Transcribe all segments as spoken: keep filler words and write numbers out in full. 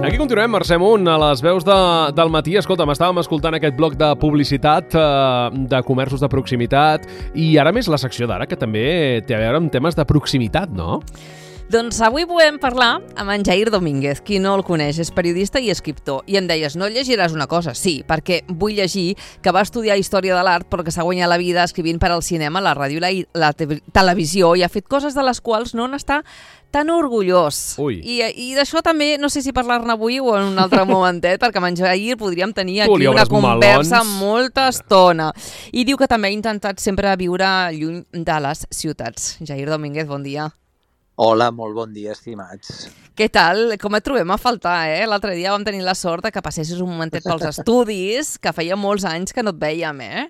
Aquí continuem, Mercè Munt, a les veus de, del matí. Escolta'm, estàvem escoltant aquest bloc de publicitat, eh, de comerços de proximitat, i ara més la secció d'ara, que també té a veure amb temes de proximitat, no? Doncs avui podem parlar amb en Jair Domínguez. Qui no el coneix, és periodista i escriptor. I em deies, no llegiràs una cosa? Sí, perquè vull llegir que va estudiar Història de l'Art però que s'ha guanyat la vida escrivint per al cinema, la ràdio i la, la te televisió, i ha fet coses de les quals no n'està tan orgullós. Ui. I, i d'això també, no sé si parlar-ne avui o en un altre momentet, perquè amb en Jair podríem tenir aquí una conversa melons. molta estona. I diu que també ha intentat sempre viure lluny de les ciutats. Jair Domínguez, bon dia. Hola, molt bon dia, estimats. Què tal? Com et trobem a faltar, eh? L'altre dia vam tenir la sort que passessis un momentet pels estudis, que feia molts anys que no et vèiem, eh?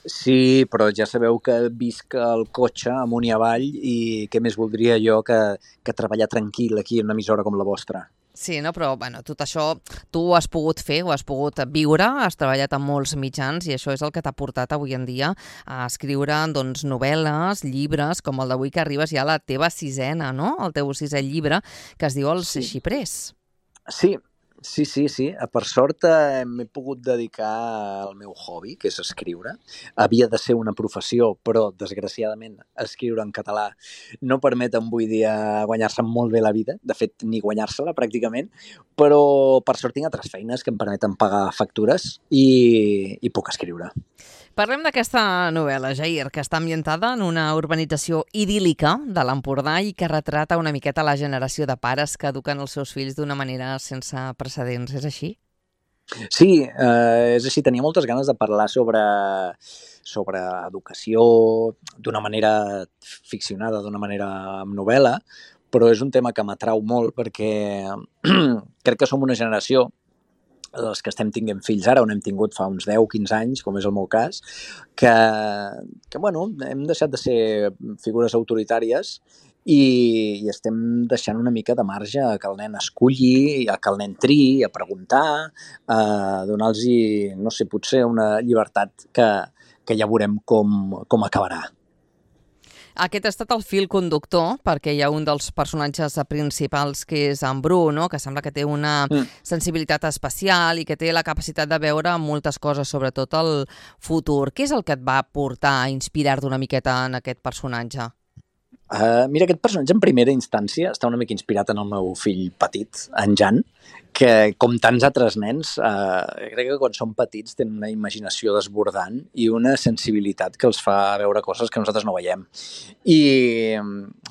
Sí, però ja sabeu que visc al cotxe amunt i avall i què més voldria jo que, que treballar tranquil aquí en una emissora com la vostra. Sí, no? Però bueno, tot això tu ho has pogut fer, ho has pogut viure, has treballat en molts mitjans i això és el que t'ha portat avui en dia a escriure doncs, novel·les, llibres, com el d'avui que arribes ja a la teva sisena, no? El teu sisè llibre, que es diu Els Sí. xiprers. Sí, sí, sí, sí. Per sort eh, m'he pogut dedicar al meu hobby, que és escriure. Havia de ser una professió, però desgraciadament escriure en català no permet avui dia guanyar-se molt bé la vida, de fet ni guanyar-se-la pràcticament, però per sort tinc altres feines que em permeten pagar factures i, i puc escriure. Parlem d'aquesta novel·la, Jair, que està ambientada en una urbanització idíl·lica de l'Empordà i que retrata una miqueta la generació de pares que eduquen els seus fills d'una manera sense precedents. És així? Sí, eh, és així. Tenia moltes ganes de parlar sobre, sobre educació d'una manera ficcionada, d'una manera amb novel·la, però és un tema que m'atrau molt perquè crec que som una generació, els que estem tinguent fills ara, on hem tingut fa uns deu quinze anys, com és el meu cas, que, que bueno, hem deixat de ser figures autoritàries i, i estem deixant una mica de marge a que el nen esculli, a que el nen triï, a preguntar, a donar-los, no sé, potser una llibertat que, que ja veurem com, com acabarà. Aquest ha estat el fil conductor, perquè hi ha un dels personatges principals que és en Bru, no? Que sembla que té una mm. sensibilitat especial i que té la capacitat de veure moltes coses, sobretot el futur. Què és el que et va portar a inspirar-te una miqueta en aquest personatge? Uh, mira, aquest personatge en primera instància està una mica inspirat en el meu fill petit, en Jan, que com tants altres nens, uh, crec que quan són petits tenen una imaginació desbordant i una sensibilitat que els fa veure coses que nosaltres no veiem. I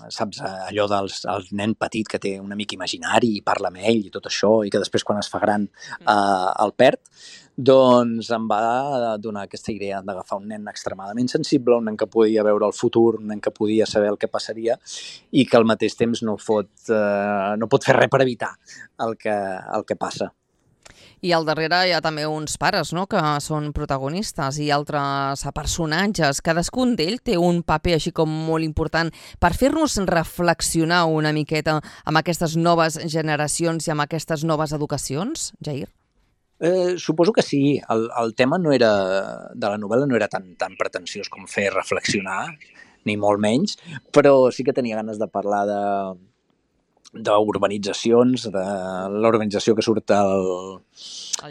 saps, allò del el nen petit que té un amic imaginari i parla amb ell i tot això, i que després quan es fa gran uh, el perd, doncs em va donar aquesta idea d'agafar un nen extremadament sensible, un nen que podia veure el futur, un nen que podia saber el que passaria i que al mateix temps no pot, eh, no pot fer res per evitar el que, el que passa. I al darrere hi ha també uns pares, no?, que són protagonistes i altres personatges. Cadascun d'ells té un paper així com molt important per fer-nos reflexionar una miqueta amb aquestes noves generacions i amb aquestes noves educacions, Jair? Eh, suposo que sí. El, el tema no era, de la novel·la no era tan, tan pretensiós com fer reflexionar, ni molt menys, però sí que tenia ganes de parlar de d'urbanitzacions, de l'urbanització que surt al,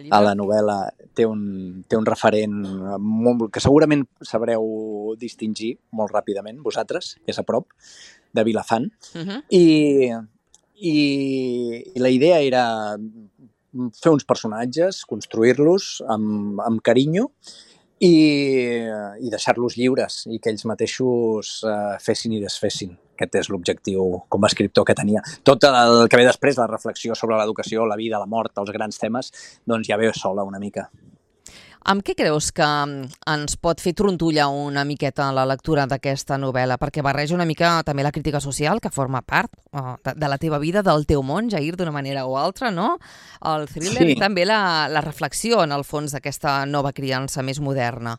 a la novel·la té un, té un referent molt, que segurament sabreu distingir molt ràpidament, vosaltres, que és a prop, de Vilafant. Uh-huh. I, i, i la idea era fer uns personatges, construir-los amb, amb carinyo i, i deixar-los lliures i que ells mateixos uh, fessin i desfessin. Aquest és l'objectiu com a escriptor que tenia. Tot el que ve després, la reflexió sobre l'educació, la vida, la mort, els grans temes, doncs ja ve sola una mica. Amb què creus que ens pot fer trontollar una miqueta la lectura d'aquesta novel·la? Perquè barreja una mica també la crítica social, que forma part uh, de, de la teva vida, del teu món, Jair, d'una manera o altra, no? El thriller sí. I també la, la reflexió, en el fons, d'aquesta nova criança més moderna.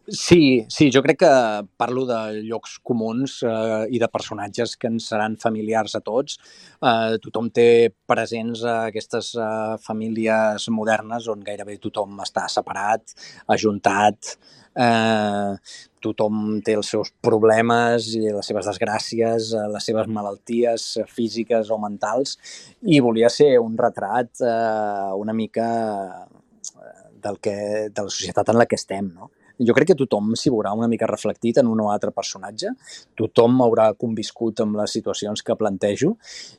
Sí, sí, jo crec que parlo de llocs comuns eh, i de personatges que ens seran familiars a tots. Eh, tothom té presents a aquestes eh, famílies modernes on gairebé tothom està separat, ajuntat, eh, tothom té els seus problemes i les seves desgràcies, eh, les seves malalties físiques o mentals, i volia ser un retrat eh, una mica del que, de la societat en la que estem, no? Jo crec que tothom s'hi veurà una mica reflectit en un o altre personatge, tothom haurà conviscut amb les situacions que plantejo,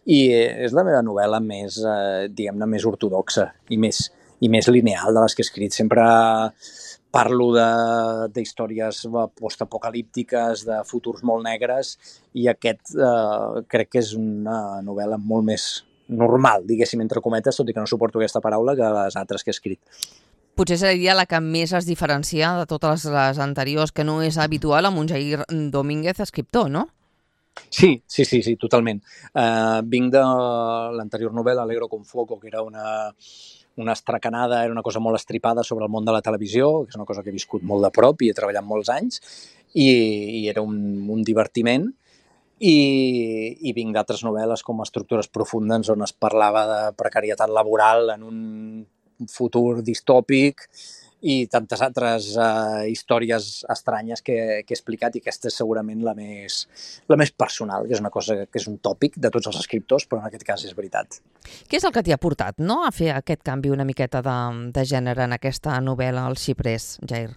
i és la meva novel·la més, eh, diguem-ne, més ortodoxa i més, i més lineal de les que he escrit. Sempre parlo d'històries postapocalíptiques, de futurs molt negres, i aquest eh, crec que és una novel·la molt més normal, diguéssim, entre cometes, tot i que no suporto aquesta paraula, que les altres que he escrit. Potser seria la que més es diferencia de totes les anteriors, que no és habitual amb un Jair Domínguez escriptor, no? Sí, sí, sí, sí, totalment. Uh, vinc de l'anterior novel·la, Alegro con Foco, que era una, una estracanada, era una cosa molt estripada sobre el món de la televisió, que és una cosa que he viscut molt de prop i he treballat molts anys, i, i era un, un divertiment. I, i vinc d'altres novel·les com Estructures profundes, on es parlava de precarietat laboral en un futur distòpic, i tantes altres uh, històries estranyes que, que he explicat, i aquesta és segurament la més, la més personal, que és una cosa que és un tòpic de tots els escriptors, però en aquest cas és veritat. Què és el que t'hi ha portat, no?, a fer aquest canvi una miqueta de, de gènere en aquesta novel·la, El xiprers, Jair?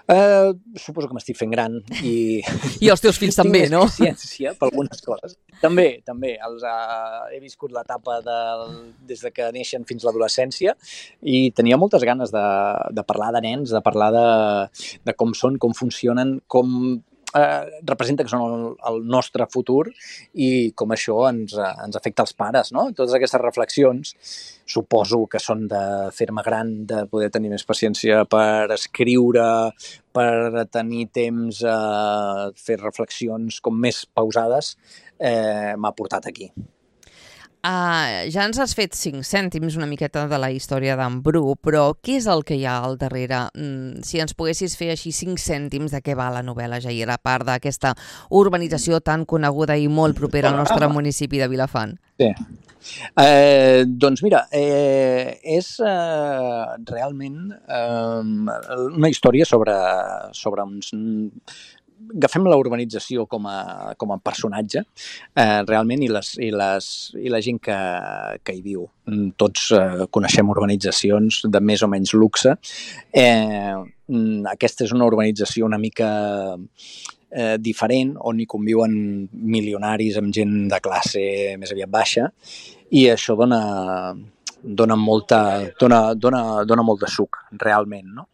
Uh, suposo que m'estic fent gran i... I els teus fills també, no? Tinc més consciència per algunes coses. També, també. Els, uh, he viscut l'etapa del, des de que neixen fins l'adolescència, i tenia moltes ganes de, de parlar de nens, de parlar de, de com són, com funcionen, com eh, representa que són el, el nostre futur i com això ens, ens afecta als pares, no? Totes aquestes reflexions suposo que són de fer-me gran, de poder tenir més paciència per escriure, per tenir temps a fer reflexions com més pausades, eh, m'ha portat aquí. Uh, ja ens has fet cinc cèntims una miqueta de la història d'en Bru, però què és el que hi ha al darrere? Mm, si ens poguessis fer així cinc cèntims de què va la novel·la, Jair, a part d'aquesta urbanització tan coneguda i molt propera al nostre municipi de Vilafant. Sí. Eh, doncs mira, eh, és eh, realment eh, una història sobre, sobre uns... Agafem la urbanització com a, com a personatge, eh, realment, i, les, i, les, i la gent que, que hi viu. Tots eh, coneixem urbanitzacions de més o menys luxe. Eh, aquesta és una urbanització una mica eh, diferent, on hi conviuen milionaris amb gent de classe més aviat baixa, i això dona, dona, molta, dona, dona, dona molt de suc, realment, no?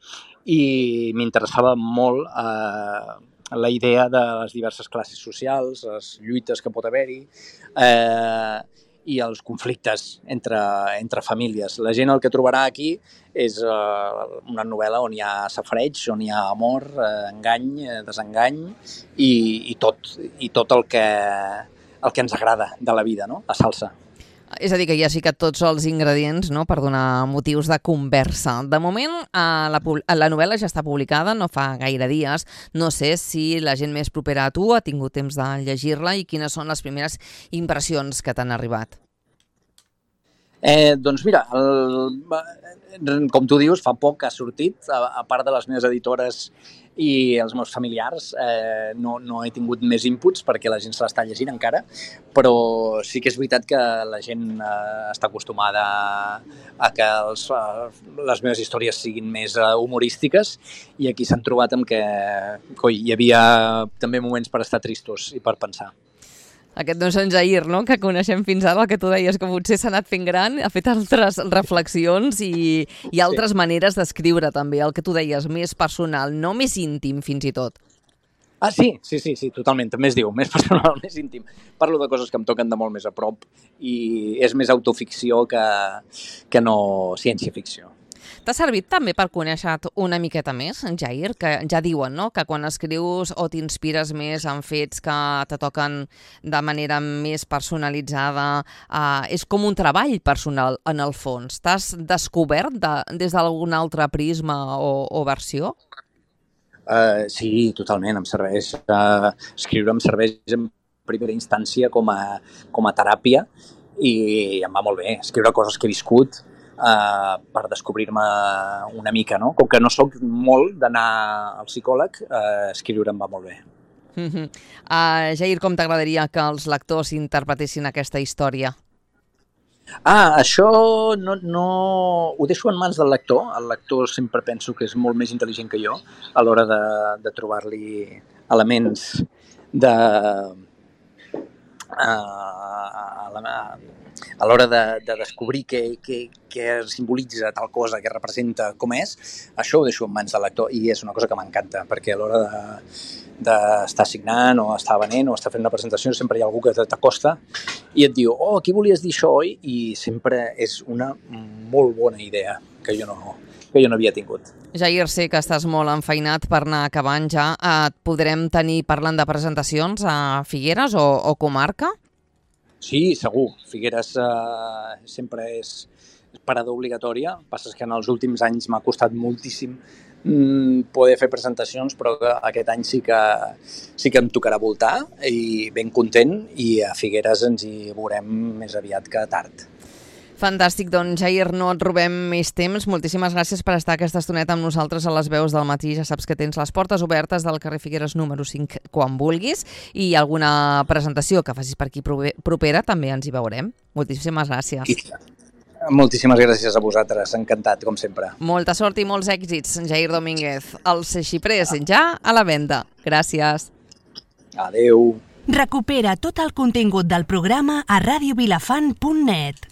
I m'interessava molt eh, la idea de les diverses classes socials, les lluites que pot haver-hi, eh, i els conflictes entre, entre famílies. La gent el que trobarà aquí és eh, una novel·la on hi ha safareig, on hi ha amor, eh, engany, eh, desengany, i, i, tot, i tot el que, el que ens agrada de la vida, no? La salsa. És a dir, que ja sí que tots els ingredients, no?, per donar motius de conversa. De moment, la, la novel·la ja està publicada, no fa gaire dies. No sé si la gent més propera a tu ha tingut temps de llegir-la i quines són les primeres impressions que t'han arribat. Eh, doncs mira, el, com tu dius, fa poc que ha sortit, a, a part de les meves editores i els meus familiars, eh, no, no he tingut més inputs perquè la gent se l'està llegint encara, però sí que és veritat que la gent eh, està acostumada a que els, les meves històries siguin més humorístiques, i aquí s'han trobat amb que coi, hi havia també moments per estar tristos i per pensar. Aquest doncs en Jair, no?, que coneixem fins ara, el que tu deies, que potser s'ha anat fent gran, ha fet altres reflexions i, i altres sí. maneres d'escriure també, el que tu deies, més personal, no més íntim fins i tot. Ah, sí, sí, sí, sí, totalment, també es diu, més personal, més íntim. Parlo de coses que em toquen de molt més a prop i és més autoficció que, que no ciència-ficció. T'ha servit també per conèixer una miqueta més, en Jair? Que ja diuen, no?, que quan escrius o t'inspires més en fets que te toquen de manera més personalitzada, eh, és com un treball personal, en el fons. T'has descobert de, des d'algun altre prisma o, o versió? Uh, sí, totalment, em serveix. Uh, escriure em serveix en primera instància com a, com a teràpia i em va molt bé. Escriure coses que he viscut uh, per descobrir-me una mica, no? Com que no sóc molt d'anar al psicòleg, uh, escriure em va molt bé. Uh -huh. uh, Jair, com t'agradaria que els lectors interpretessin aquesta història? Ah, això no, no... ho deixo en mans del lector. El lector sempre penso que és molt més intel·ligent que jo a l'hora de, de trobar-li elements de... Uh, a la, a l'hora de, de descobrir què, què, què simbolitza tal cosa, què representa, com és, això ho deixo en mans del lector i és una cosa que m'encanta, perquè a l'hora de d'estar signant o estar venent o estar fent una presentació sempre hi ha algú que t'acosta i et diu, oh, aquí volies dir això, oi? I sempre és una molt bona idea que jo no, que jo no havia tingut. Jair, sé que estàs molt enfeinat per anar acabant ja. Et podrem tenir parlant de presentacions a Figueres o, o comarca? Sí, segur. Figueres eh, sempre és parada obligatòria. Passa que en els últims anys m'ha costat moltíssim poder fer presentacions, però aquest any sí que, sí que em tocarà voltar i ben content, i a Figueres ens hi veurem més aviat que tard. Fantàstic, doncs Jair, no et robem més temps. Moltíssimes gràcies per estar aquesta estoneta amb nosaltres a les veus del matí. Ja saps que tens les portes obertes del carrer Figueres número cinc quan vulguis, i alguna presentació que facis per aquí propera també ens hi veurem. Moltíssimes gràcies. I... Moltíssimes gràcies a vosaltres, encantat, com sempre. Molta sort i molts èxits, Jair Domínguez. Els xiprers ja a la venda. Gràcies. Adeu. Recupera tot el contingut del programa a radio vilafant punt net.